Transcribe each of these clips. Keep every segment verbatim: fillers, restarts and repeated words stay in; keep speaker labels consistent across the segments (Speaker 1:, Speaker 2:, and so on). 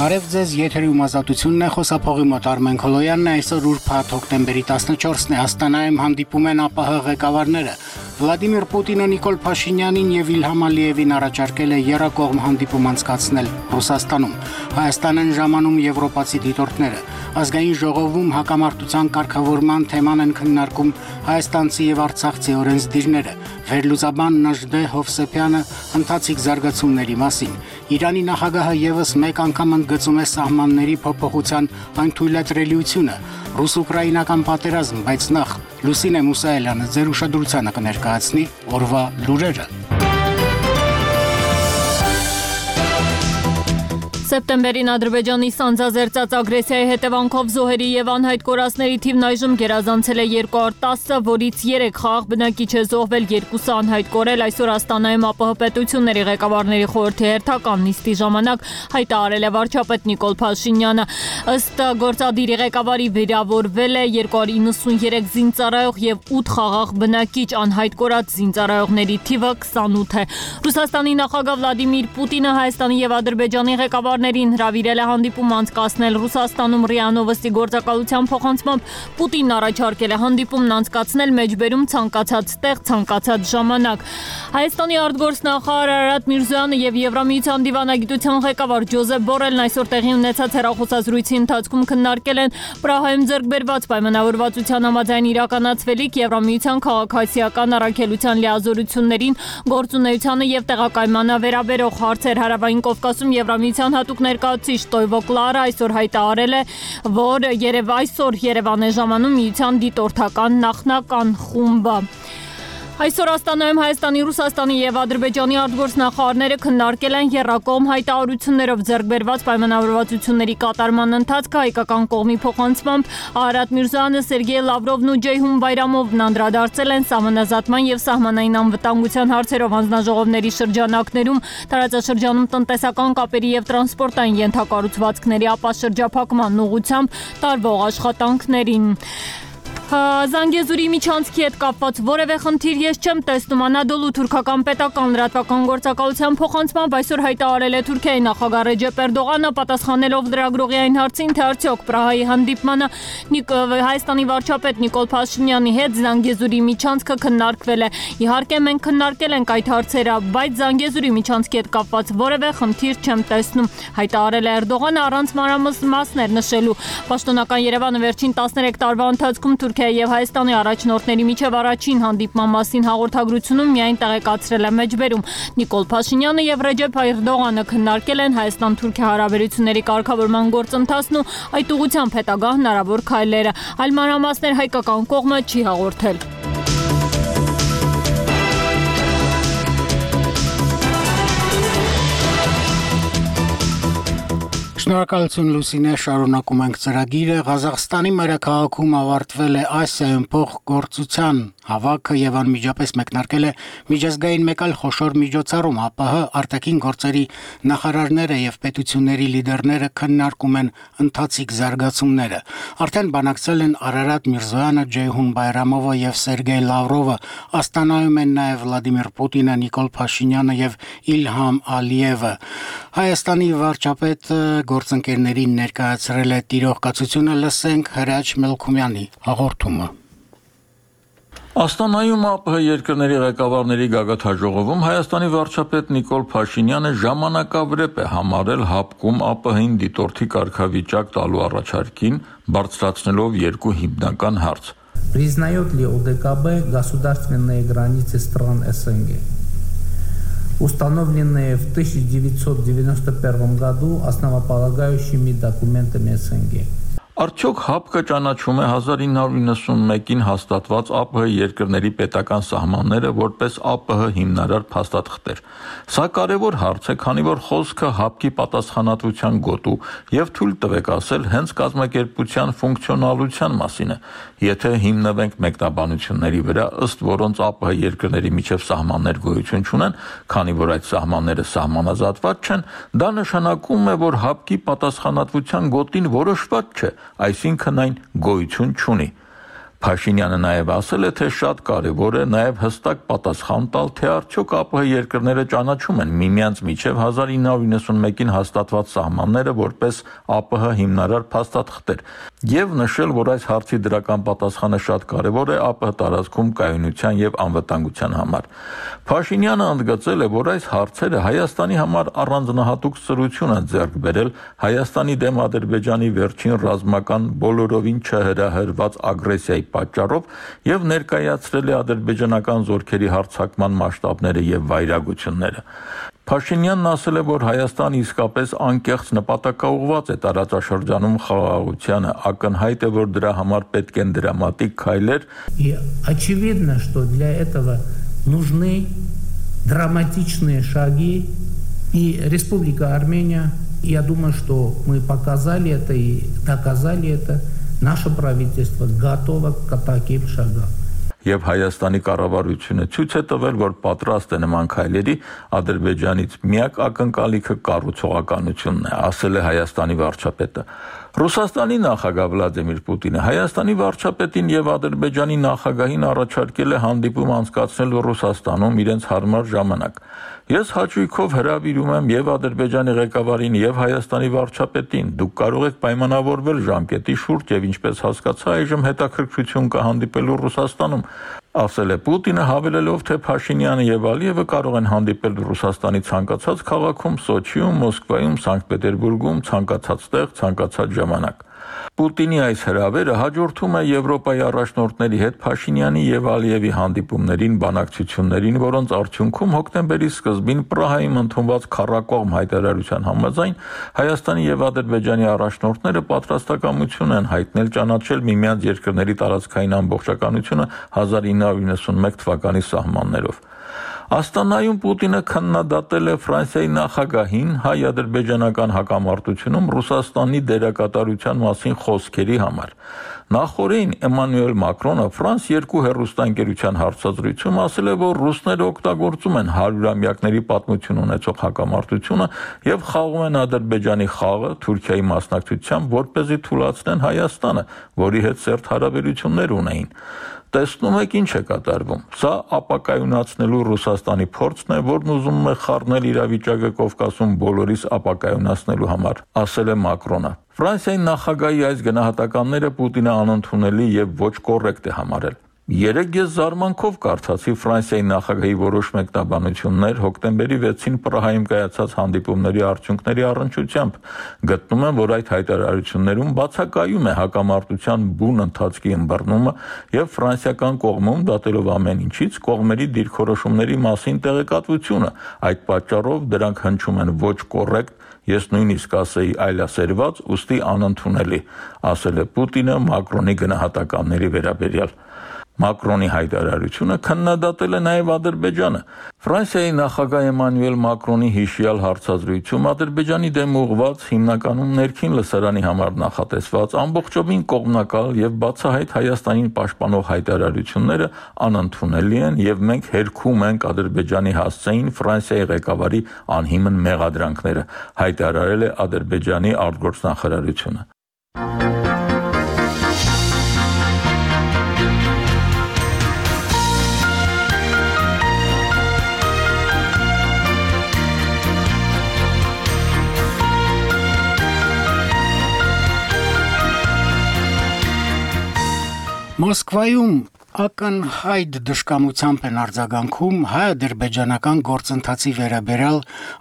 Speaker 1: Բարև ձեզ, եթերում ազատությունն է, խոսափողի մոտ Արմեն Քոլոյանն է, այսօր ուրբաթ հոկտեմբերի տասնչորսն է, Աստանայում հանդիպում են ԱՊՀ ղեկավարները։ Վլադիմիր Պուտինը Նիկոլ Փաշինյանին եւ Իլհամ Ալիևին առաջարկել է եռակողմ հանդիպում անցկացնել Ռուսաստանում։ Հայաստանն ժամանում եվրոպացի դիտորդները։ Ազգային ժողովում հակամարտության կարգավորման թեման են քննարկում հայաստանցի եւ արցախցի օրենսդիրները։ Վերլուծաբան Նժդե Հովսեփյանը ընթացիկ զարգացումների մասին։ Իրանի նախագահը եւս մեկ անգամ ընդգծում է սահմանների փոփոխության անթույլատրելիությունը։ Ռուս-ուկրաինական պատերազմ, բայց նախ Լուսինե Մուսայելյանը ձեր ուշադրությանը կներկայացնի օրվա լուրերը։
Speaker 2: Սեպտեմբերին Ադրբեջանի սանձազերծած ագրեսիայի հետևանքով զոհերի եւ անհայտ կորածների թիվն այժմ գերազանցել է երկու հարյուր տասը, որից երեք խաղաղ բնակիչ է զոհվել, երկուսը անհայտ կորել։ Այսօր Աստանայում ԱՊՀ պետությունների ղեկավարների խորհրդի հերթական նիստի ժամանակ հայտարարել է վարչապետ Նիկոլ Փաշինյանը։ Ըստ գործադիրի ղեկավարի վիրավորվել է երկու հարյուր իննսուններեք զինծառայող եւ ութ խաղաղ բնակիչ, անհայտ կորած զինծառայողների թիվը քսանութ է։ Ռուսաստանի նախագահ Վլադիմիր Պուտինը Հայաստանի եւ Ադրբեջանի ղեկավար ներին հրավիրել է հանդիպում անցկացնել Ռուսաստանում ՌԻԱ Նովոստի գործակալության փոխանցմամբ Պուտինն առաջարկել է հանդիպումն անցկացնել մեջբերում ցանկացած տեղ, ցանկացած ժամանակ։ Հայաստանի արտգործնախարար Արարատ Միրզոյանը եւ Եվրամիության դիվանագիտության ղեկավար Ջոզեփ Բորելն այսօր տեղի ունեցած հեռախոսազրույցի ընթացքում քննարկել են Պրահայում ձեռք բերված պայմանավորվածության համաձայն իրականացվելիք Եվրամիության քաղաքացիական առաքելության լիազորություններին, գործունեությանը եւ տեղակայմանը վերաբերող հարցեր։ Հարավային Կովկասում Եվրամիության հատուկ ներկայացուցիչ Տոյվո Կլարը այսօր հայտարարել է, որ Երև այսօր Երևան է ժամանում միության դիտորդական նախնական խումբը։ Այսօր Աստանայում Հայաստանի, Ռուսաստանի եւ Ադրբեջանի արտգործնախարարները քննարկել են եռակողմ հայտարարություններով ձեռք բերված պայմանավորվածությունների կատարման ընթացքը։ Հայկական կողմի փոխանցմամբ Արարատ Միրզոյանը, Սերգեյ Լավրովն ու Ջեյհուն Բայրամովն անդրադարձել են սահմանազատման եւ սահմանային անվտանգության հարցերով հանձնաժողովների շրջանակներում, տարածաշրջանում տնտեսական կապերի եւ տրանսպորտային ենթակառուցվածքների ապաշրջափակման ուղղությամբ տարվող աշխատանքներին։ Զանգեզուրի միջանցքի հետ կապված որևէ խնդիր ես չեմ տեսնում։ Անադոլու թուրքական պետական լրատվական գործակալության փոխանցմամբ այսօր հայտարարել է Թուրքիայի նախագահ Ռեջեփ Էրդողանը, պատասխանելով լրագրողի այն հարցին, թե արդյոք Պրահայի հանդիպմանը Հայաստանի վարչապետ Նիկոլ Փաշինյանի հետ Զանգեզուրի միջանցքը քննարկվել է։ Իհարկե մենք քննարկել ենք այդ հարցերը, բայց Զանգեզուրի միջանցքի հետ կապված որևէ խնդիր չեմ տեսնում, հայտարարել է Էրդողանը առանց մանրամասներ նշելու։ Պաշտոնական Երևանը վերջին տասներեք տարվա ընթացքում Թուրքիայի եւ Հայաստանի առաջնորդների միջև առաջին հանդիպման մասին հաղորդագրությունում միայն տեղեկացրել է մեջբերում։ Նիկոլ Փաշինյանը եւ Ռեջեփ Էրդողանը քննարկել են Հայաստան-Թուրքիա հարաբերությունների կարգավորման գործընթացն ու այդ ուղղությամբ հետագա հնարավոր քայլերը։ Այլ մանրամասներ հայկական կողմը չի հաղորդել։
Speaker 1: Շնորհակալություն Լուսինե, շարունակում ենք ծրագիրը։ Ղազախստանի մայրաքաղաքում ավարտվել է Ասիայում փոխգործության հավաքը եւ անմիջապես մեկնարկել է միջազգային մեկ այլ խոշոր միջոցառում։ ԱՊՀ արտաքին գործերի նախարարները եւ պետությունների լիդերները քննարկում են ընթացիկ զարգացումները։ Արդեն բանակցել են Արարատ Միրզոյանը, Ջեյհուն Բայրամովը եւ Սերգեյ Լավրովը։ Աստանայում են նաեւ Վլադիմիր Պուտինը, Նիկոլ Փաշինյանը եւ Իլհամ Ալիևը։ Հայաստանի վարչապետ գործընկերներին ներկայացրել է տիրող կացությունը, լսենք Հրաչ Մելքումյանի հաղորդումը։
Speaker 3: Աստանայում ԱՊՀ երկրների ղեկավարների գագաթնաժողովում Հայաստանի վարչապետ Նիկոլ Փաշինյանը ժամանակավրեպ է համարել հապկում ԱՊՀ-ին դիտորդի կարգավիճակ տալու առաջարկին, բարձրացնելով երկու հիմնական հարց։
Speaker 4: Признает ли ОДКБ государственные границы стран СНГ, установленные в тысяча девятьсот девяносто первом году основополагающими документами СНГ?
Speaker 3: Արդյոք ՀԱՊԿ-ը ճանաչում է հազար ինը հարյուր իննսունմեկին հաստատված ԱՊՀ երկրների պետական սահմանները որպես ԱՊՀ հիմնարար փաստաթղթեր։ Սա կարևոր հարց է, քանի որ խոսքը ՀԱՊԿ-ի պատասխանատվության գոտու եւ թույլ տվեք ասել հենց կազմակերպության ֆունկցիոնալության մասին է։ Եթե հիմնվենք մեկնաբանությունների վրա, ըստ որոնց ԱՊՀ երկրների միջև սահմաններ գոյություն չունեն, քանի որ այդ սահմանները սահմանազատված չեն, դա նշանակում է, որ ՀԱՊԿ-ի պատասխանատվության գոտին որոշված չէ, այսինքն այն գոյություն չունի։ Փաշինյանը նաև ասել է, թե շատ կարևոր է նաև հստակ պատասխան տալ, թե արդյոք ԱՊՀ երկրները ճանաչում են միմյանց միջև հազար ինը հարյուր նվաթ հաստատված սահմանները որպես ԱՊՀ հիմնարար փաստաթղթեր եւ նշել, որ այս հարցի դրական պատասխանը շատ կարևոր է ԱՊՀ տարածքում կայունության եւ անվտանգության համար։ Փաշինյանը ընդգծել է, որ այս հարցերը Հայաստանի համար առանձնահատուկ սրություն են ձեռք բերել Հայաստանի դեմ Ադրբեջանի վերջին ռազմական բոլորովին չհրահրված ագրեսիայի պատճառով եւ ներկայացրել է ադրբեջանական զորքերի հարձակման մասշտաբները եւ վայրագությունները։ Փաշինյանն ասել է, որ Հայաստանը իսկապես անկեղծ նպատակաուղղված է տարածաշրջանում խաղաղությանը, ակնհայտ է, որ դրա համար պետք են դրամատիկ քայլեր։
Speaker 4: И очевидно, что для этого нужны драматичные шаги, и Республика Армения, я думаю, что мы показали это и доказали это, наше правительство готово к таким шагам.
Speaker 3: Եվ Հայաստանի կառավարությունը ցույց է տվել, որ պատրաստ է նման քայլերի, Ադրբեջանից միակ ակնկալիքը կառուցողականությունն է, ասել է Հայաստանի վարչապետը։ Ռուսաստանի նախագահ Վլադիմիր Պուտինը Հայաստանի վարչապետին եւ Ադրբեջանի նախագահին առաջարկել է հանդիպում անցկացնել Ռուսաստանում իրենց հարմար ժամանակ։ Ես հաճույքով հրավիրում եմ եւ Ադրբեջանի ղեկավարին եւ Հայաստանի վարչապետին։ Դուք կարող եք պայմանավորվել ժամկետի շուրջ եւ ինչպես հասկացա, այժմ հետաքրքրություն կա հանդիպելու Ռուսաստանում, ասել է Պուտինը, հավելելով, թե Փաշինյանը եւ Ալիևը կարող են հանդիպել Ռուսաստանի ցանկացած քաղաքում, Սոչիում, Մոսկվայում, Սանկտ Պետերբուրգում, ցանկացած տեղ, ցանկացած ժամանակ։ Պուտինի այս հրավերը հաջորդում է Եվրոպայի առաջնորդների հետ Փաշինյանի եւ Ալիևի հանդիպումներին, բանակցություններին, որոնց արդյունքում հոկտեմբերի սկզբին Պրահայում ընդունված քառակողմ հայտարարության համաձայն Հայաստանի եւ Ադրբեջանի առաջնորդները պատրաստակամություն են հայտնել ճանաչել միմյանց երկրների տարածքային ամբողջականությունը հազար ինը հարյուր նվաթ թվականի սահմաններով։ Աստանայում Պուտինը քննադատել է Ֆրանսիայի նախագահին հայ-ադրբեջանական հակամարտությունում Ռուսաստանի դերակատարության մասին խոսքերի համար։ Նախորդին Էմանուել Մակրոնը Ֆրանս երկու հեռուստաընկերության հարցազրույցում ասել է, որ ռուսները օգտագործում են հարյուրամյակների պատմություն ունեցող հակամարտությունը եւ խաղում են Ադրբեջանի խաղը Թուրքիայի մասնակցությամբ, որպեսզի թուլացնեն Հայաստանը, որի հետ սերտ հարաբերություններ ունեին։ Տեսնում եք ինչ է կատարվում։ Սա ապակայունացնելու Ռուսաստանի փորձն է, որն ուզում է խառնել իրավիճակը Կովկասում բոլորիս ապակայունացնելու համար, ասել է Մակրոնը։ Ֆրանսիայի նախագահի այս գնահատականները Պուտինը անընդունելի եւ ոչ կոռեկտ է համարել։ Երեկ ես զարմանքով կարդացի Ֆրանսիայի նախագահի որոշ մեկնաբանություններ հոկտեմբերի վեցին Պրահայում կայացած հանդիպումների արդյունքների առնչությամբ։ Գտնում եմ, որ այդ հայտարարություններում բացակայում է հակամարտության բուն ընթացքի ըմբռնումը եւ ֆրանսիական կողմում, դատելով ամեն ինչից, կողմերի դիրքորոշումների մասին տեղեկատվությունը։ Այդ պատճառով դրանք հնչում են ոչ կոռեկտ, ես նույնիսկ ասեի այլասերված, ուստի անընդունելի, ասել է Պուտինը Մակրոնի գնահատականների վերաբերյալ։ Մակրոնի հայտարարությունը քննադատել է նաև Ադրբեջանը։ Ֆրանսիայի նախագահ Էմանուել Մակրոնի հիշյալ հարցազրույցում Ադրբեջանի դեմ ուղղված հիմնականում ներքին լսարանի համար նախատեսված ամբողջովին կողմնակալ եւ բացահայտ Հայաստանին պաշտպանող հայտարարությունները անընդունելի են եւ մենք հերքում ենք Ադրբեջանի հասցեին Ֆրանսիայի ղեկավարի անհիմն մեղադրանքները, հայտարարել է Ադրբեջանի արտգործնախարարությունը։
Speaker 1: Մոսկվայում ակնհայտ դժկամությամբ են արձագանքում հայ-ադրբեջանական գործընթացի վերաբերյալ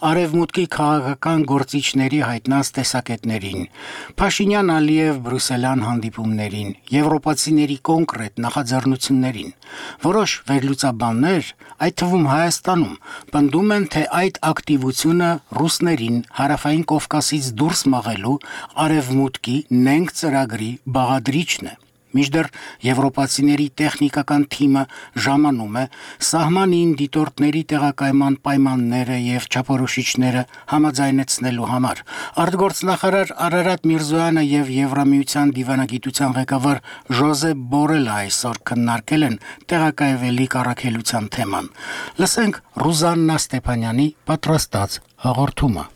Speaker 1: արևմուտքի քաղաքական գործիչների հայտնած տեսակետներին, Փաշինյան-Ալիև բրուսելյան հանդիպումներին, եվրոպացիների կոնկրետ նախաձեռնություններին։ Որոշ վերլուծաբաններ, այդ թվում Հայաստանում, պնդում են, թե այդ ակտիվությունը ռուսներին հարավային Կովկասից դուրս մղելու արևմուտքի նենգ ծրագրի բաղադրիչն է։ Մինչդեռ եվրոպացիների տեխնիկական թիմը ժամանում է սահմանին դիտորդների տեղակայման պայմանները եւ չափորոշիչները համաձայնեցնելու համար։ Արտգործնախարար Արարատ Միրզոյանը եւ Եվրամիության դիվանագիտության ղեկավար Ժոզեփ Բորելը այսօր քննարկել են տեղակայվելի առաքելության թեման։ Լսենք Ռուզաննա Ստեփանյանի պատրաստած հաղորդումը։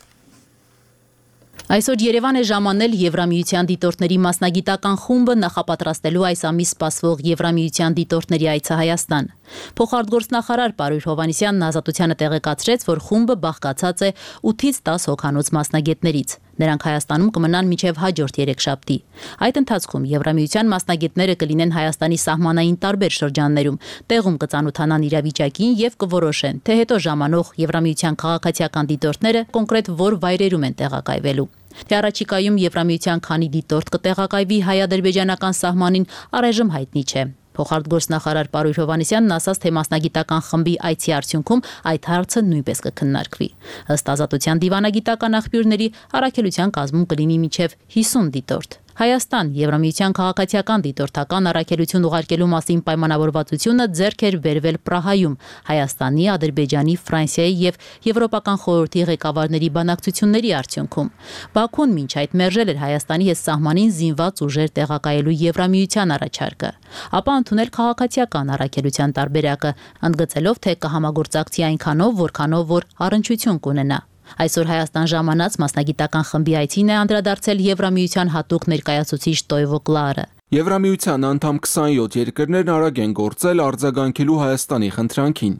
Speaker 5: Այսօր Երևան է ժամանել Եվրամիության դիտորդների մասնագիտական խումբը նախապատրաստելու այս ամիս սպասվող Եվրամիության դիտորդների այցը Հայաստան։ Փոխարտգործնախարար Պարույր Հովհաննիսյանն Ազատությանը տեղեկացրեց, որ խումբը բաղկացած է ութից տաս հոգանոց մասնագետներից։ Նրանք Հայաստանում կմնան մինչև հաջորդ երեքշաբթի։ Այդ ընթացքում Եվրամիության մասնագետները կլինեն Հայաստանի սահմանային տարբեր շրջաններում, տեղում կծանոթանան իրավիճակին եւ կորոշեն, թե հետո ժամանող Եվրամիության քաղաքացիական դիտորդները կոնկրետ որ վայրերում են տեղակայվելու։ Թե առաջիկայում Եվրամիության քանի դիտորդ կտեղակայվի հայ-ադրբեջանական սահմանին, առայժմ հայտնի չէ։ Փոխարտգործնախարար Պարույր Հովհաննիսյանն ասաց, թե մասնագիտական խմբի այցի արդյունքում այդ հարցը նույնպես կքննարկվի։ Ըստ Ազատության դիվանագիտական աղբյուրների, առաքելության կազմում կլինի մինչև հիսուն դիտորդ։ Հայաստան Եվրամիության քաղաքացիական դիտորդական առաքելություն ուղարկելու մասին պայմանավորվածությունը ձեռք էր բերվել Պրահայում Հայաստանի, Ադրբեջանի, Ֆրանսիայի եւ Եվրոպական խորհրդի ղեկավարների բանակցությունների արդյունքում։ Բաքուն մինչ այդ մերժել էր Հայաստանի հետ սահմանին զինված ուժեր տեղակայելու Եվրամիության առաջարկը, ապա ընդունել քաղաքացիական առաքելության տարբերակը, ընդգծելով, թե կհամագործակցի այնքանով, որքանով որ առնչություն կունենա։ Այսօր Հայաստան ժամանած մասնագիտական խմբի այցին է անդրադարձել Եվրամիության հատուկ ներկայացուցիչ Տոյվո Կլարը։
Speaker 6: Եվրամիության անդամ քսանյոթ երկրներն արագ են գործել արձագանքելու Հայաստանի խնդրանքին։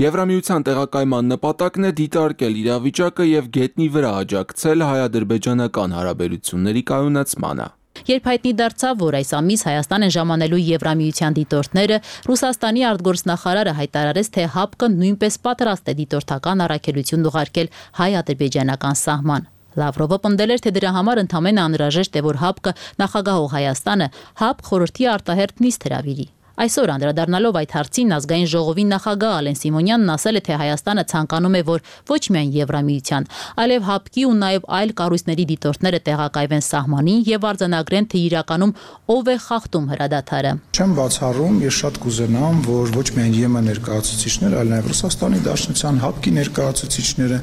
Speaker 6: Եվրամիության տեղակայման նպատակն է դիտարկել իրավիճակը եւ գետնի վրա աջակցել հայ-ադրբեջանական հարաբերությունների կայունացմանը։
Speaker 5: Երբ հայտնի դարձավ, որ այս ամիս Հայաստան են ժամանելու Եվրամիության դիտորդները, Ռուսաստանի արտգործնախարարը հայտարարեց, թե ՀԱՊԿ-ը նույնպես պատրաստ է դիտորդական առաքելություն ուղարկել հայ-ադրբեջանական սահման։ Լավրովը պնդել էր, թե դրա համար ընդամենը անհրաժեշտ է, որ ՀԱՊԿ-ը նախագահող Հայաստանը ՀԱՊԿ խորհրդի արտահերթ նիստ հրավիրի։ Այսօր անդրադառնալով այդ հարցին ազգային ժողովի նախագահ Ալեն Սիմոնյանն ասել է, թե Հայաստանը ցանկանում է, որ ոչ միայն Եվրամիության, այլև ՀԱՊԿ-ի ու նաև այլ կառույցների դիտորդները տեղակայվեն սահմանին եւ արձանագրեն, թե իրականում ով է խախտում հրադադարը։
Speaker 7: Չեմ բացառում, ես շատ կուզենամ, որ ոչ միայն ԵՄ ներկայացուցիչներ, այլ նաև Ռուսաստանի Դաշնության ՀԱՊԿ-ի ներկայացուցիչները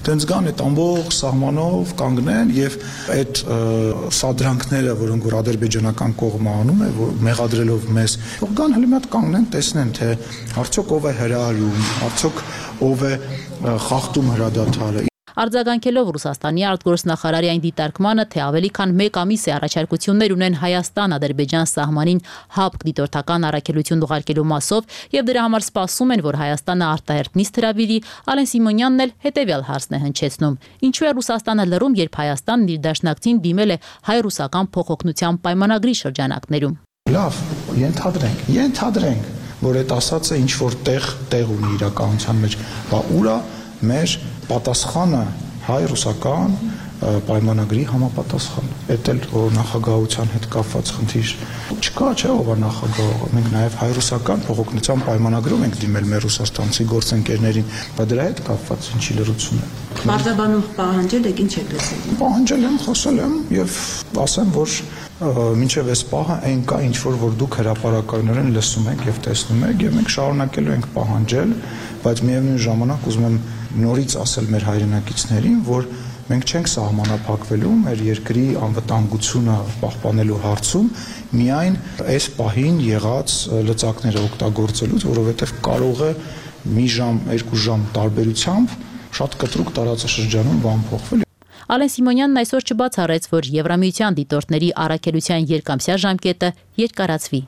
Speaker 7: դենց գան այդ ամբողջ սահմանով կանգնեն եւ այդ սադրանքները, որոնք որ ադրբեջանական կողմը անում է, որ մեղադրելով մեզ Գան հələ մի հատ կանգնեն, տեսնեն, թե արդյոք ով է հրահարում, արդյոք ով է խախտում հրադադարը։
Speaker 5: Արձագանքելով Ռուսաստանի արտգործնախարարի այն դիտարկմանը, թե ավելի քան մեկ ամիս է առաջարկություններ ունեն Հայաստան-Ադրբեջան սահմանին ՀԱՊԿ դիտորդական առաքելություն ուղարկելու մասով եւ դրա համար սպասում են, որ Հայաստանը արտահերթ նիստ հրավիրի, Ալեն Սիմոնյանն էլ հետեւյալ հարցն է հնչեցնում. Ինչու է Ռուսաստանը լռում, երբ Հայաստանն իր դաշնակցին դիմել է հայ-ռուսական փոխօգնության պայմանագրի շրջանակներում։
Speaker 7: Լավ, ենթադրենք, ենթադրենք, որ այդ ասածը ինչ որ տեղ տեղ ունի իրականության մեջ, բա ուրա մեր պատասխանը հայ-ռուսական պայմանագրի համապատասխան։ Էդ էլ նախագահության հետ կապված խնդիր չկա, չէ՞ ով է նախագահը։ Մենք նաև հայ-ռուսական փոխօգնության պայմանագրում ենք դիմել մեր ռուսաստանցի գործընկերներին, բայց դրա հետ կապված ինչի լրություն է։
Speaker 8: Մարտաբանում պահանջել եք, ինչ եք լսել։
Speaker 7: Պահանջել եմ, խոսել եմ եւ ասեմ, որ մինչև այս պահը այն կա ինչ որ որ դուք հրապարակայնորեն լսում եք եւ տեսնում եք եւ մենք շարունակելու ենք պահանջել, բայց միևնույն ժամանակ ուզում եմ նորից ասել մեր հայրենակիցներին, որ մենք չենք սահմանափակվելու մեր երկրի անվտանգությունը պահպանելու հարցում միայն այս պահին եղած լծակները օգտագործելուց, որովհետեւ կարող է մի ժամ, երկու ժամ տարբերությամբ շատ կտրուկ տարածաշրջանում բան փոխվել։
Speaker 5: Ալեն Սիմոնյանն այսօր չբացառեց, որ Եվրամիության դիտորդների առաքելության երկամսյա ժամկետը երկարացվի։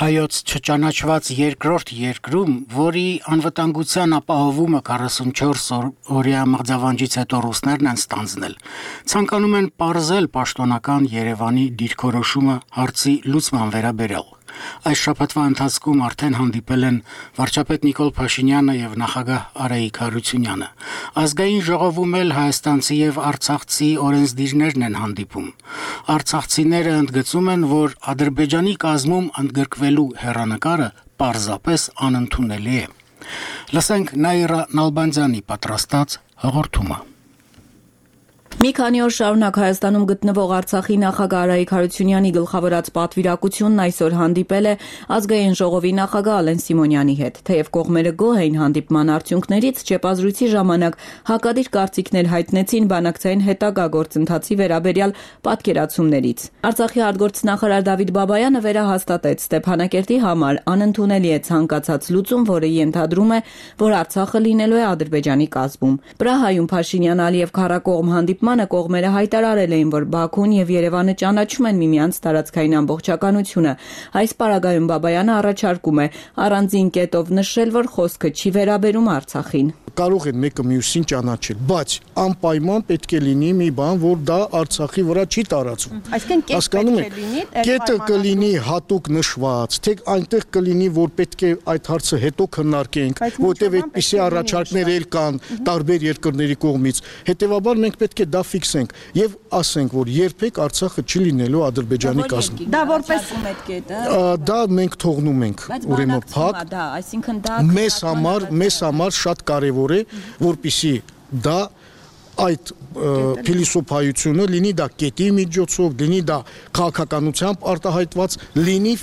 Speaker 1: Հայոց չճանաչված երկրորդ երկրում, որի անվտանգության ապահովումը քառասունչորս օրյա մղձավանջից հետո ռուսներն են ստանձնել, ցանկանում են պարզել պաշտոնական Երևանի դիրքորոշումը հարցի լուծման վերաբերյալ։ Այս շաբաթվա ընթացքում արդեն հանդիպել են վարչապետ Նիկոլ Փաշինյանը եւ նախագահ Արայիկ Հարությունյանը։ Ազգային ժողովում էլ հայաստանցի եւ արցախցի օրենսդիրներն են հանդիպում։ Արցախցիները ընդգծում են, որ Ադրբեջանի կազմում ընդգրկվելու հեռանկարը պարզապես անընդունելի է։ Լսենք Նաիրա Նալբանդյանի պատրաստած հաղորդումը։
Speaker 9: Մի քանի օր շարունակ Հայաստանում գտնվող Արցախի նախագահ Արայիկ Հարությունյանի գլխավորած պատվիրակությունն այսօր հանդիպել է ազգային ժողովի նախագահ Ալեն Սիմոնյանի հետ։ Թեև կողմերը գոհ էին հանդիպման արդյունքներից, չեպազրույցի ժամանակ հակադիր կարծիքներ հայտնեցին բանակցային հետագա գործընթացի վերաբերյալ պատկերացումներից։ Արցախի արտգործնախարար Դավիթ Բաբայանը վերահաստատեց Ստեփանակերտի համար անընդունելի է ցանկացած լուծում, որը ենթադրում է, որ Արցախը լինելու է Ադրբեջանի կազմում։ Պրահայում Փաշինյան-Ալիև քառակողմ հանդիպման կողմերը հայտարարել էին, որ Բաքուն եւ Երևանը ճանաչում են միմյանց տարածքային ամբողջականությունը։ Այս պարագայում Բաբայանը առաջարկում է առանձին կետով նշել, որ խոսքը չի վերաբերում Արցախին։
Speaker 10: Կարող են մեկը մյուսին ճանաչել, բայց անպայման պետք է լինի մի բան, որ դա Արցախի վրա չի տարածվում։
Speaker 9: Այսինքն
Speaker 10: կետը կլինի հատուկ նշված, թե այնտեղ կլինի, որ պետք է այդ հարցը հետո քննարկենք, որտեղ այդպիսի առաջարկներ էլ կան տարբեր երկրների կողմից։ Հետևաբար մենք պետք է դա ֆիքսենք եւ ասենք, որ երբեք Արցախը չի լինելու Ադրբեջանի կազմում։
Speaker 9: Դա որպես կետը։
Speaker 10: Դա մենք թողնում ենք, ուրեմն փակ։
Speaker 9: Դա, այսինքն դա
Speaker 10: մեզ համար, մեզ համար շատ կարևոր է, որպեսզի դա այդ փիլիսոփայությունը լինի դա կետի միջոցով, լինի դա քաղաքականությամբ արտահայտված, լինի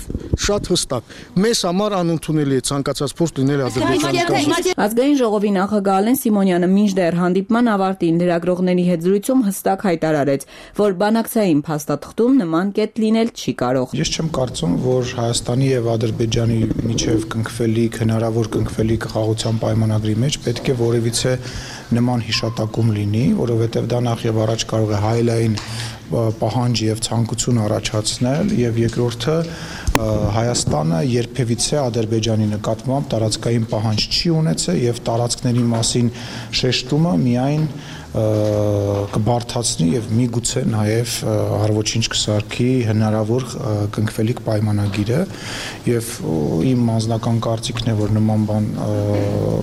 Speaker 10: շատ հստակ։ Մեզ համար անընդունելի է ցանկացած փորձ լինել Ադրբեջանի կազմում։
Speaker 9: Ազգային ժողովի նախագահ Ալեն Սիմոնյանը մինչդեռ հանդիպման ավարտին լրագրողների հետ զրույցում հստակ հայտարարեց, որ բանակցային փաստաթղթում նման կետ լինել չի կարող։
Speaker 7: Ես չեմ կարծում, որ Հայաստանի եւ Ադրբեջանի միջև կնքվելիք, հնարավոր կնքվելիք խաղաղության պայմանագրի մեջ պետք է որևիցե նման հիշատակում լինի, որովհետև դա նախ եւ առաջ կարող է հայելային պահանջ եւ ցանկություն առաջացնել, եւ երկրորդը Հայաստանը երբևիցե Ադրբեջանի նկատմամբ տարածքային պահանջ չի ունեցել եւ տարածքների մասին շեշտումը միայն կբարթացնի եւ միգուցե նաեւ հարվոչինչ կսարքի հնարավոր կնքվելիք պայմանագիրը եւ իմ անձնական կարծիքն է, որ նման բան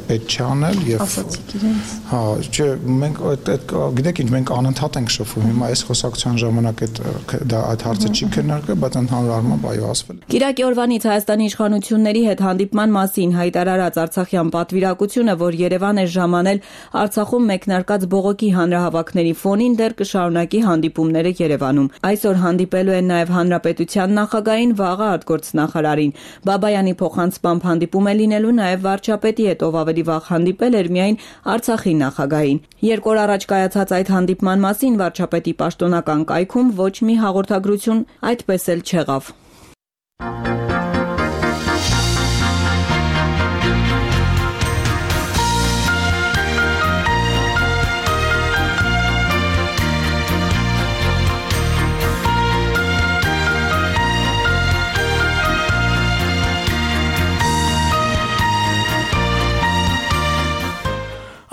Speaker 7: պետք չի անել եւ
Speaker 9: ասացիք իրենց։
Speaker 7: Հա, չէ, մենք այդ գիտեք ինչ, մենք անընդհատ ենք շփվում։ Հիմա այս խոսակցության ժամանակ այդ դա այդ հարցը չի քննարկվել, բայց ընդհանուր առմամբ այո ասվել։
Speaker 9: Կիրակի օրվանից Հայաստանի իշխանությունների հետ հանդիպման մասին հայտարարած արցախյան պատվիրակությունը, որ Երևան է ժամանել Արցախում մեկնարկած բողոքի հանրահավաքների ֆոնին, դեռ կշարունակի հանդիպումները Երևանում։ Այսօր հանդիպելու են նաև Հանրապետության նախագահին, վաղը արտգործնախարարին։ Բաբայանի փոխանցմամբ հանդիպում է լինելու նաև վարչապետի հետ, ով ավելի վաղ հանդիպել էր միայն Արցախի նախագահին։ Երկու օր առաջ կայացած այդ հանդիպման մասին վարչապետի պաշտոնական կայքում ոչ մի հաղորդագրություն այդպես էլ չեղավ։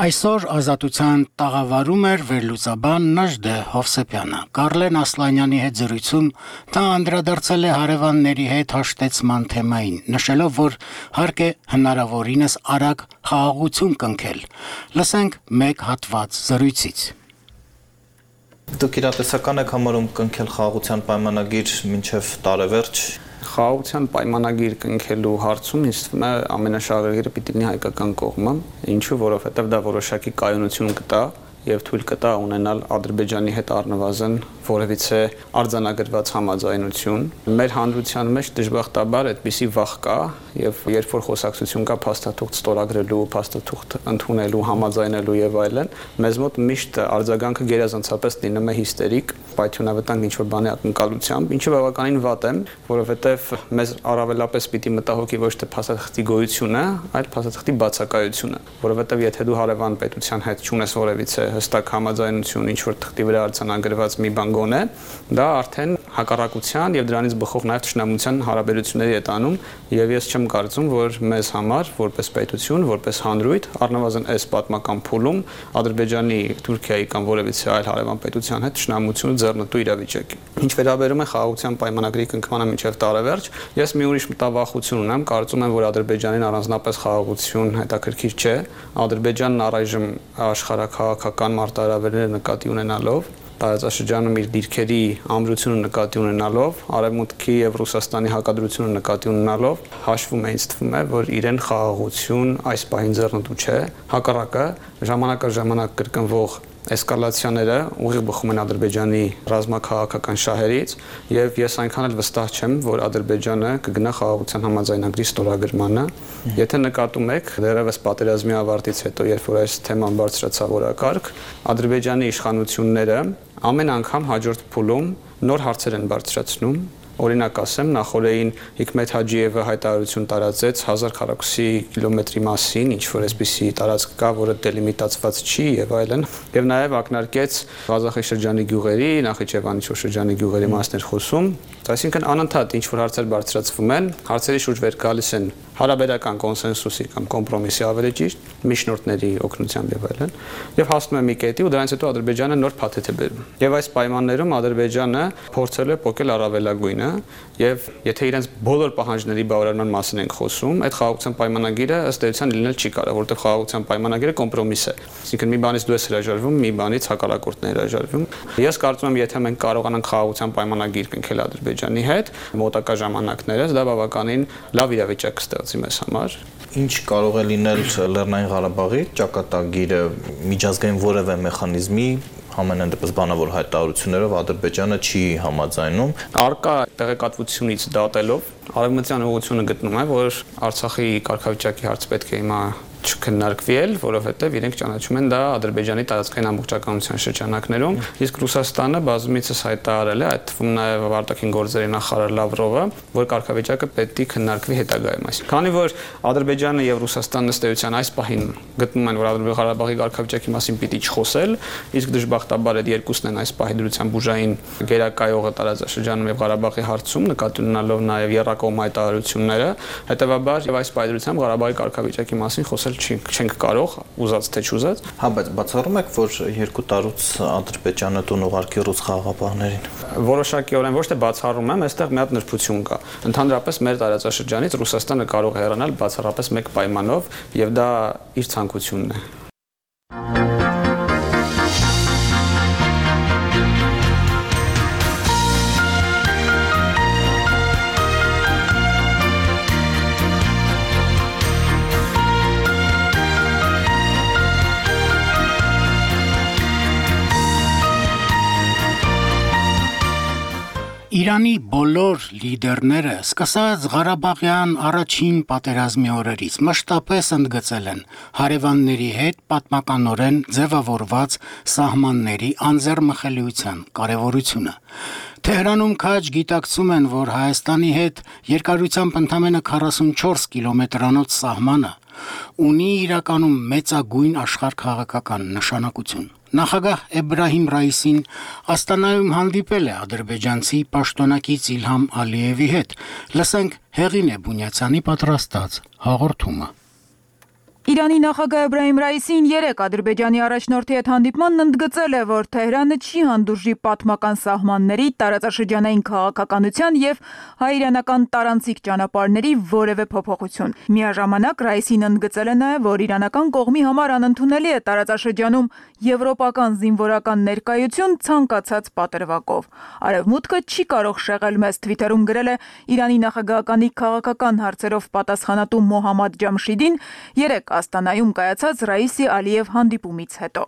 Speaker 1: Այսօր ազատության տաղավարում էր վերլուծաբան Նաժդե Հովսեփյանը։ Կարլեն Ասլանյանի հետ զրույցում նա անդրադարձել է հարևանների հետ հաշտեցման թեմային, նշելով, որ հարկ է հնարավորինս արագ խաղաղություն կնքել։ Լսենք մեկ հատված զրույցից։
Speaker 11: Դուք իրատեսական եք համարում կնքել խաղաղության պայմանագիր մինչև տարեվերջ։
Speaker 12: Խաղաղության պայմանագիր կնքելու հարցում ինձ թվում է ամենաշահագրգիռը պիտի լինի հայկական կողմը, ինչու որովհետև դա որոշակի կայունություն կտա եւ թույլ կտա ունենալ Ադրբեջանի հետ առնվազն որևիցե արձանագրված համաձայնություն։ Մեր հանրության մեջ դժբախտաբար այդպիսի վախ կա եւ երբ որ խոսակցություն կա փաստաթուղթ ստորագրելու, փաստաթուղթ ընդունելու, համաձայնելու եւ այլն, մեզ մոտ միշտ արձագանքը գերազանցապես լինում է հիստերիկ, պայթյունավտանգ ինչ որ բանի ակնկալությամբ, ինչը բավականին վատ է, որովհետեւ մեզ առավելապես պիտի մտահոգի ոչ թե փաստաթղթի գոյությունը, այլ փաստաթղթի բացակայությունը, որովհետեւ եթե դու հարևան պետության հետ չունես որևիցե հստակ համաձայնություն ինչ որ թղթի վրա արձանագրված մի բան գոնե, դա արդեն հակառակության եւ դրանից բխող նաեւ ճշնամության հարաբերությունների հետ անում եւ ես չեմ կարծում, որ մեզ համար որպես պետություն, որպես հանրույթ, առնվազն այս պատմական փուլում Ադրբեջանի, Թուրքիայի կամ որևիցե այլ հարևան պետության հետ ճշնամությունը ձեռնտու իրավիճակ է։ Ինչ վերաբերում է խաղաղության պայմանագրի կնքմանը մինչև տարեվերջ, ես մի ուրիշ մտավախություն ունեմ, կարծում եմ, որ Ադրբեջանին առանձնապես խաղաղություն հետաքրքիր չէ։ Ադրբեջանն առայժմ աշխարհաքաղաքական մարտահրավերները նկատի ունենալով տարածաշրջանում իր դիրքերի ամրությունը նկատի ունենալով, Արևմուտքի եւ Ռուսաստանի հակադրությունը նկատի ունենալով, հաշվում է ինձ թվում է, որ իրեն խաղաղություն այս պահին ձեռնտու չէ, հակառակը ժամանակա ժամանակ կրկնվող էսկալացիաները ուղիղ բխում են Ադրբեջանի ռազմաքաղաքական շահերից եւ ես այնքան էլ վստահ չեմ, որ Ադրբեջանը կգնա խաղաղության համաձայնագրի ստորագրմանը։ Եթե նկատում եք, դեռևս պատերազմի ավարտից հետո, երբ որ այս թեման բարձրացավ օրակարգ, Ադրբեջանի իշխանությունները ամեն անգամ հաջորդ փուլում նոր հարցեր են բարձրացնում։ Օրինակ ասեմ, նախորդին Հիկմետ Հաջիևը հայտարարություն տարածեց հազար քառակուսի կիլոմետրի մասին, ինչ որ այսպիսի տարածք կա, որը դելիմիտացված չի եւ այլն, եւ նաեւ ակնարկեց Ղազախի շրջանի գյուղերի, Նախիջևանի շրջանի գյուղերի մասներ խոսում, այսինքն անընդհատ ինչ որ հարցեր բարձրացվում են, հարցերի շուրջ վեր գալիս են հարաբերական կոնսենսուսի կամ կոմպրոմիսի ավելի ճիշտ, միջնորդների օգնությամբ եւ այլն, եւ հասնում է մի կետի ու դրանից հետո Ադրբեջանը նոր փաթեթ է բերում։ Եվ այս պայմաններում Ադրբեջանը փորձել է փոկել առավելագույնը եւ եթե իրենց բոլոր պահանջների բավարարման մասին ենք խոսում, այդ խաղաղության պայմանագիրը ըստ էության լինել չի կարող, որովհետեւ խաղաղության պայմանագիրը կոմպրոմիս է։ Այսինքն մի բանից դու ես հրաժարվում, մի բանից հակառակորդն է հրաժարվում։ Ես կարծում եմ, եթե մենք կարողանանք խաղաղության պայմանագիր կնքել Ադրբեջանի հետ մոտակա ժամանակներս, դա բավականին լավ իրավիճակ կստեղծի մեզ համար։
Speaker 11: Ինչ կարող է լինել Լեռնային Ղարաբաղի ճակատագիրը միջազգային որևէ մեխանիզմի համենայն դեպս բանավոր հայտարարություններով Ադրբեջանը չի համաձայնում։
Speaker 12: Արկա տեղեկատվությունից դատելով արևմտյան ուղղությունը գտնում է, որ Արցախի կարգավիճակի հարց պետք է հիմա չքննարկվի էլ, որովհետև իրենք ճանաչում են դա Ադրբեջանի տարածքային ամբողջականության շրջանակներում, իսկ Ռուսաստանը բազմիցս հայտարարել է, այդ թվում նաև արտաքին գործերի նախարար Լավրովը, որ կարգավիճակը պետք է քննարկվի հետագայում։ Այսինքն, քանի որ Ադրբեջանը եւ Ռուսաստանն ըստ էության այս պահին գտնում են, որ Ադրբեջանի Ղարաբաղի կարգավիճակի մասին պիտի չխոսել, իսկ դժբախտաբար այդ երկուսն են այս պահի դրությամբ ուժային գերակայողը տարածաշրջանում եւ Ղարաբաղի հարցում, նկատի ունենալով նաև եռակողմ հայտարարությունները, հետեւաբար եւ այս պայմանությամբ Ղարաբաղի կարգավիճակի մասին խոսել չենք կարող, ուզած թե չուզած։
Speaker 11: Հա, բայց բացառում եք, որ երկու տարուց Ադրբեջանը տուն ուղարկի ռուս խաղաղապահներին։
Speaker 12: Որոշակիորեն ոչ թե բացառում եմ, այստեղ մի հատ նրբություն կա։ Ընդհանրապես մեր տարածաշրջանից Ռուսաստանը կարող է հեռանալ բացառապես մեկ պայմանով, եւ դա իր ցանկությունն է։
Speaker 1: Իրանի բոլոր լիդերները սկսած Ղարաբաղյան առաջին պատերազմի օրերից մշտապես ընդգծել են հարևանների հետ պատմականորեն ձևավորված սահմանների անձեռմխելիության կարևորությունը։ Թեհրանում քաջ գիտակցում են, որ Հայաստանի հետ երկարությամբ ընդամենը քառասունչորս կիլոմետրանոց սահմանը ունի իրականում մեծագույն աշխարհաքաղաքական նշանակություն։ Նախագահ Էբրահիմ Ռայիսին Աստանայում հանդիպել է ադրբեջանցի պաշտոնակից Իլհամ Ալիևի հետ։ Լսենք Հեղինե Բունյացյանի պատրաստած հաղորդումը։
Speaker 13: Իրանի նախագահ Էբրահիմ Ռայիսին երեկ Ադրբեջանի առաջնորդի հետ հանդիպմանն ընդգծել է, որ Թեհրանը չի հանդուրժի պատմական սահմանների, տարածաշրջանային քաղաքականության եւ հայ-իրանական տարանցիկ ճանապարհների որևէ փոփոխություն։ Միաժամանակ Ռայիսին ընդգծել է նաեւ, որ իրանական կողմի համար անընդունելի է տարածաշրջանում եվրոպական զինվորական ներկայություն ցանկացած պատրվակով։ Արևմուտքը չի կարող շեղել մեզ, Թվիթերում գրել է Իրանի նախագահականի քաղաքական հարցերով պատասխանատու Մոհամմադ Ջամշիդին երեկ Աստանայում կայացած Ռայիսի Ալիև հանդիպումից հետո։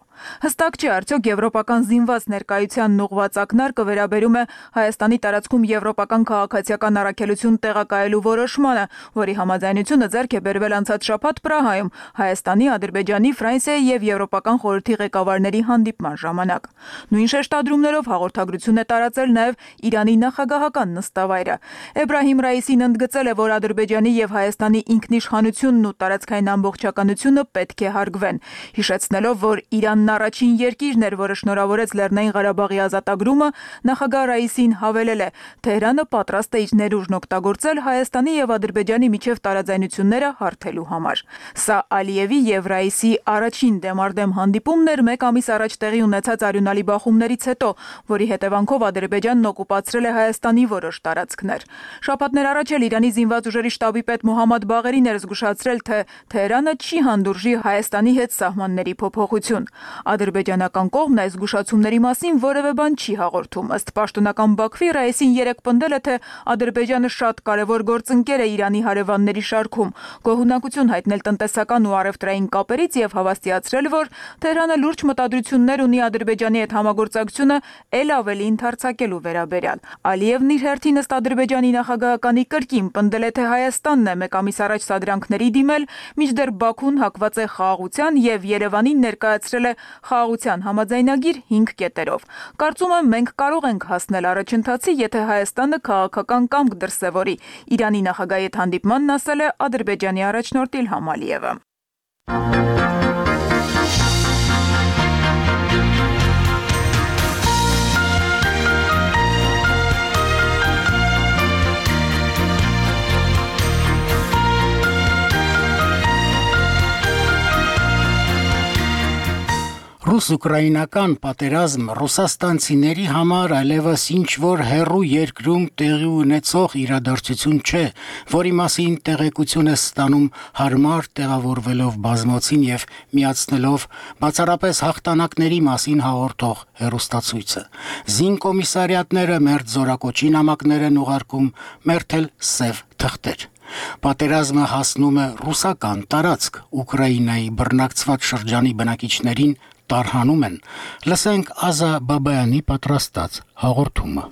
Speaker 13: Հստակ չի արդյոք եվրոպական զինված ներկայությանն ուղղված ակնարկը վերաբերում է Հայաստանի տարածքում եվրոպական քաղաքացիական առաքելություն տեղակայելու որոշմանը, որի համաձայնությունը ձեռք է բերվել անցած շաբաթ Պրահայում Հայաստանի, Ադրբեջանի, Ֆրանսիայի եւ Եվրոպական խորհրդի ղեկավարների հանդիպման ժամանակ։ Նույն շեշտադրումներով հաղորդագրություն է տարածել նաեւ Իրանի նախագահական նստավայրը։ Էբրահիմ Ռայիսին ընդգծել է, որ Ադրբեջանի եւ Հայաստանի ինքնիշխանությունն ու տարածքային ամբողջականությունը պետք է հարգվեն, հիշեցնելով, որ Իրանն առաջին երկիրն էր, որը շնորհավորեց Լեռնային Ղարաբաղի ազատագրումը, նախագահ Ռայիսին հավելել է. Թեհրանը պատրաստ է իր ներուժն օգտագործել Հայաստանի եւ Ադրբեջանի միջև տարաձայնությունները հարթելու համար։ Սա Ալիևի եւ Ռայիսի առաջին դեմարդեմ հանդիպումն էր մեկ ամիս առաջ տեղի ունեցած արյունալի բախումներից հետո, որի հետևանքով Ադրբեջանն օկուպացրել է Հայաստանի որոշ տարածքներ։ Շաբաթներ առաջ էլ Իրանի զինված ուժերի շտաբի պետ Մոհամմադ Բաղերին էր զգուշացրել, թե Թեհրանը չի հանդուրժի Հայաստանի հետ սահմանների փոփոխություն։ Ադրբեջանական կողմն այս զգուշացումների մասին որևէ բան չի հաղորդում։ Ըստ պաշտոնական Բաքվի Ռայիսին երեկ պնդել է, թե Ադրբեջանը շատ կարևոր գործընկեր է Իրանի հարևանների շարքում, գոհունակություն հայտնել տնտեսական ու առևտրային կապերից եւ հավաստիացրել, որ Թեհրանը լուրջ մտադրություններ ունի Ադրբեջանի հետ համագործակցությունը ել ավելի ընդարձակելու վերաբերյալ։ Ալիևն իր հերթին ըստ Ադրբեջանի նախագահականի կրկին պնդել է, թե Հայաստանն է մեկ ամիս առաջ սադրանքների դիմել, մինչդեռ Բաքուն հակված է խաղաղության եւ Երևանին ներկայացրել է խաղաղության համաձայնագիր հինգ կետերով։ Կարծում եմ մենք կարող ենք հասնել առաջընթացի, եթե Հայաստանը քաղաքական կամք դրսևորի։ Իրանի նախագահի հետ հանդիպմանն ասել է Ադրբեջանի առաջնորդ Իլհամ Ալիևը։
Speaker 1: Ռուս-ուկրաինական պատերազմ ռուսաստանցիների համար այլևս ինչ-որ հեռու երկրում տեղի ունեցող իրադարձություն չէ, որի մասին տեղեկություն է ստանում հարմար տեղավորվելով բազմոցին եւ միացնելով բացառապես հաղթանակների մասին հաղորդող հեռուստացույցը։ Զինկոմիսարիատները մերձ զորակոչի նամակներ են ուղարկում, մերթել սև թղթեր։ Պատերազմը հասնում է ռուսական տարածք, Ուկրաինայի բռնակցված շրջանի բնակիչներին տարհանում են։ Լսենք Ազա Բաբայանի պատրաստած հաղորդումը։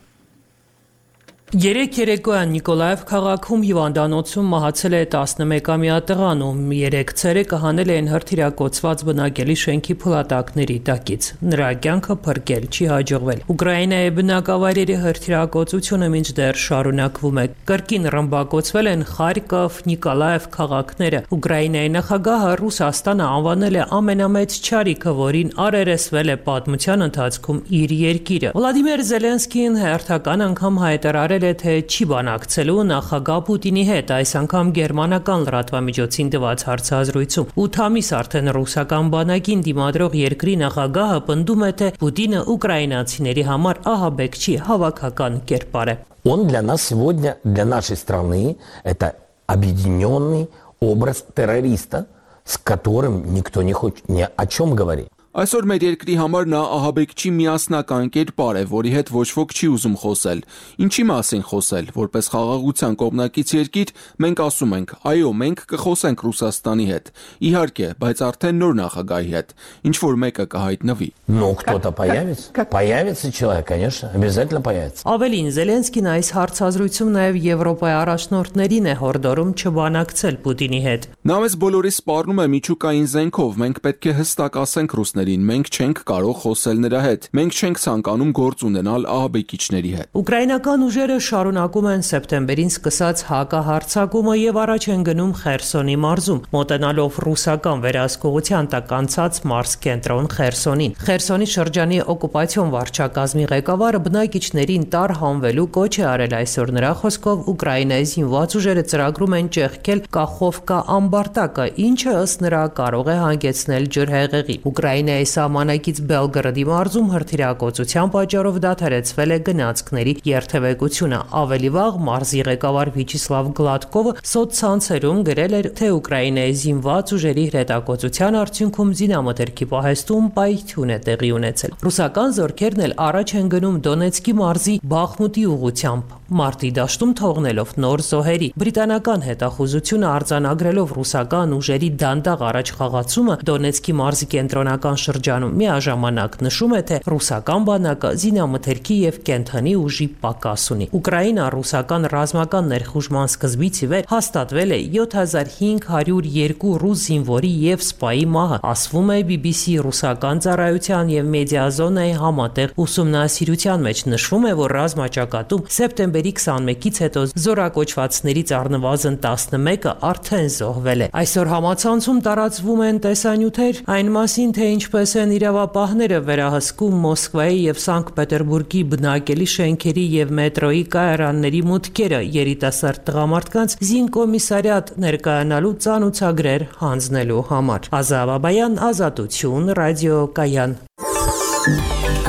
Speaker 14: Երեք երեկոյան Նիկոլաև քաղաքում հիվանդանոցում մահացել է տասնմեկամյա տղան, ում երեք ցերեկը հանել էին հրթիռակոծված բնակելի շենքի փլատակների տակից։ Նրա կյանքը փրկել չի հաջողվել։ Ուկրաինայի բնակավայրերի հրթիռակոծությունը մինչդեռ շարունակվում է։ Կրկին ռմբակոծվել են Խարկով, Նիկոլաև քաղաքները։ Ուկրաինայի նախագահը Ռուսաստանը անվանել է ամենամեծ չարիքը, որին առերեսվել է պատմության ընթացքում իր երկիրը։ Վլադիմիր Զելենսկին հերթական անգամ հայտարարել թե չի բանակցելու նախագահ Պուտինի հետ, այս անգամ գերմանական լրատվամիջոցին տված հարցազրույցում։ ութ ամիս արդեն ռուսական բանակին դիմադրող երկրի նախագահը պնդում է, թե Պուտինը ուկրաինացիների համար ահաբեկչի հավաքական կերպար է։
Speaker 15: Он для нас сегодня, для нашей страны, это объединенный образ террориста, с которым никто не хочет ни о чем говорить.
Speaker 6: Այսօր մեր երկրի համար նա ահաբեկչի միասնական կերպար է, որի հետ ոչ ոք չի ուզում խոսել։ Ինչի մասին խոսել, որպես խաղաղության կողմնակից երկիր, մենք ասում ենք, այո, մենք կխոսենք Ռուսաստանի հետ։ Իհարկե, բայց արդեն նոր նախագահի հետ, ինչ որ մեկը կհայտնվի։
Speaker 15: Ну, кто-то появится? Появится человек, конечно, обязательно появится.
Speaker 14: Ավելին Զելենսկին այս հարցազրույցում նաև Եվրոպայի առաջնորդներին է հորդորում չբանակցել Պուտինի հետ։
Speaker 6: Նա մեզ բոլորիս սպառնում է միջուկային զենքով, մենք պետք է հստակ ասենք ռուսներին, մենք չենք կարող խոսել նրա հետ, մենք չենք ցանկանում գործ ունենալ ահաբեկիչների հետ։
Speaker 14: Ուկրաինական ուժերը շարունակում են սեպտեմբերին սկսած հակահարձակումը եւ առաջ են գնում Խերսոնի մարզում, մոտենալով ռուսական վերահսկողության տակ անցած մարզ կենտրոն Խերսոնին։ Խերսոնի շրջանի օկուպացիոն վարչակազմի ղեկավարը բնակիչներին տարհանվելու կոչ է արել այսօր նրա խոսքով Ուկրաինայի զինված ուժերը ծրագրում են ճեղքել Կախովկա ամբարտակը, ինչը ըստ նրա կարող է հանգեցնել ջրհեղեղի։ Ուկրաինայի սահմանակից Բելգրադի մարզում հրթիռակոծության պատճառով դադարեցվել է գնացքների երթևեկությունը։ Ավելի վաղ մարզի ղեկավար Վիչիսլավ Գլադկովը սոցցանցերում գրել էր, թե Ուկրաինայի զինված ուժերի հրետակոծության արդյունքում զինամթերքի պահեստում պայթյուն է տեղի ունեցել։ Ռուսական զորքերն էլ առաջ են գնում Դոնեցկի մարզի Բախմուտի ուղղությամբ, մարտի դաշտում թողնելով նոր զոհերի։ Բրիտանական հետախուզությունը արձանագրելով ռուսական ուժերի դանդաղ առաջխաղացումը Դոնեցկի մարզի կենտրոնական շրջանում միաժամանակ նշում է, թե ռուսական բանակը զինամթերքի եւ կենթանի ուժի պակաս ունի։ Ուկրաինա-ռուսական ռազմական ներխուժման սկզբից ի վեր հաստատվել է յոթ հազար հինգ հարյուր երկու ռուս զինվորի եւ սպայի մահը, ասվում է բի բի սի ռուսական ծառայության եւ մեդիազոնայի համատեղ ուսումնասիրության մեջ։ Նշվում է, որ ռազմաճակատում սեպտեմբերի քսանմեկից հետո զորակոչվածներից առնվազն տասնմեկը արդեն զոհվել է։ Այսօր համացանցում տարածվում են տեսանյութեր այն մասին, թե ինչպես են իրավապահները վերահսկում Մոսկվայի եւ Սանկտ Պետերբուրգի բնակելի շենքերի եւ մետրոյի կայարանների մուտքերը երիտասարդ տղամարդկանց զինկոմիսարիատ ներկայանալու ծանուցագրեր հանձնելու համար։ Ազա Բաբայան, Ազատություն, ռադիոկայան։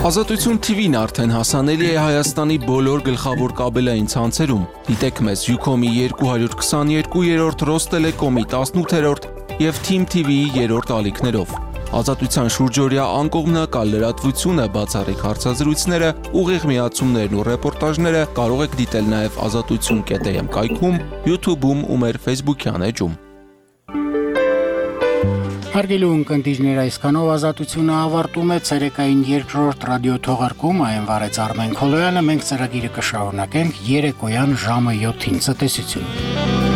Speaker 6: Ազատություն թի վին արդեն հասանելի է Հայաստանի բոլոր գլխավոր կաբելային ցանցերում։ Դիտեք մեզ Յուքոմի երկու հարյուր քսաներկու երրորդ, Ռոստելեկոմի տասնութերորդ եւ Team թի վիի երրորդ ալիքներով։ Ազատության շուրջօրյա անկողմնակալ լրատվությունը, բացառիկ հարցազրույցները, ուղիղ միացումներն ու ռեպորտաժները կարող եք դիտել նաև ազատություն կետ էմ կայքում, YouTube-ում ու մեր Facebook-յան էջում։
Speaker 1: Հարգելի ունկնդիրներ, այսքանով ազատությունը ավարտում է ցերեկային երկրորդ ռադիոթողարկում, այն վարեց Արմեն Քոլոյանը, մենք ծրագիրը կշարունակենք երեկոյան ժամը յոթին։ Ցտեսություն։